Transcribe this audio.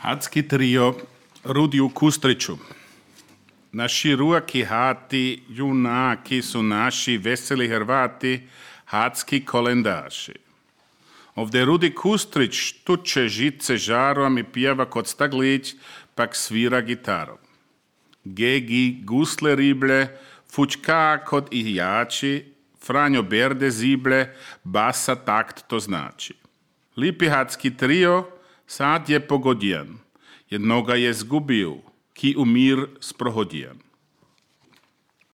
Hatski trio Rudiju Kustriću. Na široki hati junaki su naši veseli Hrvati, hatski kolendaši. Ovdje Rudi Kustrić tuče žice žarom i pjeva kod staglić, pak svira gitarom. Gegi gusle rible, fučka kod ijači, Franjo Berde zible, basa takt to znači. Lipi hatski trio sad je pogodijan, jednoga je zgubil, ki umir sprohodijan.